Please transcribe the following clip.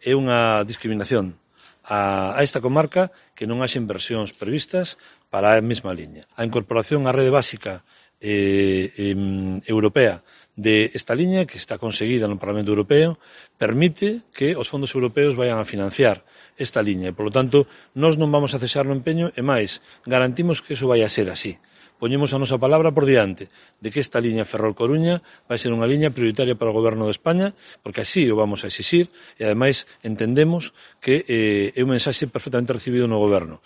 é unha discriminación a esta comarca que non haxe inversións previstas para a mesma liña. A incorporación á rede básica europea de esta liña, que está conseguida no Parlamento Europeo, permite que os fondos europeos vayan a financiar esta liña. E, polo tanto, nós non vamos a cesar no empeño e máis, garantimos que iso vai a ser así. Poñemos a nosa palabra por diante de que esta liña Ferrol-Coruña vai ser unha liña prioritaria para o Goberno de España, porque así o vamos a exixir e, ademais, entendemos que é un mensaxe perfectamente recibido no Goberno.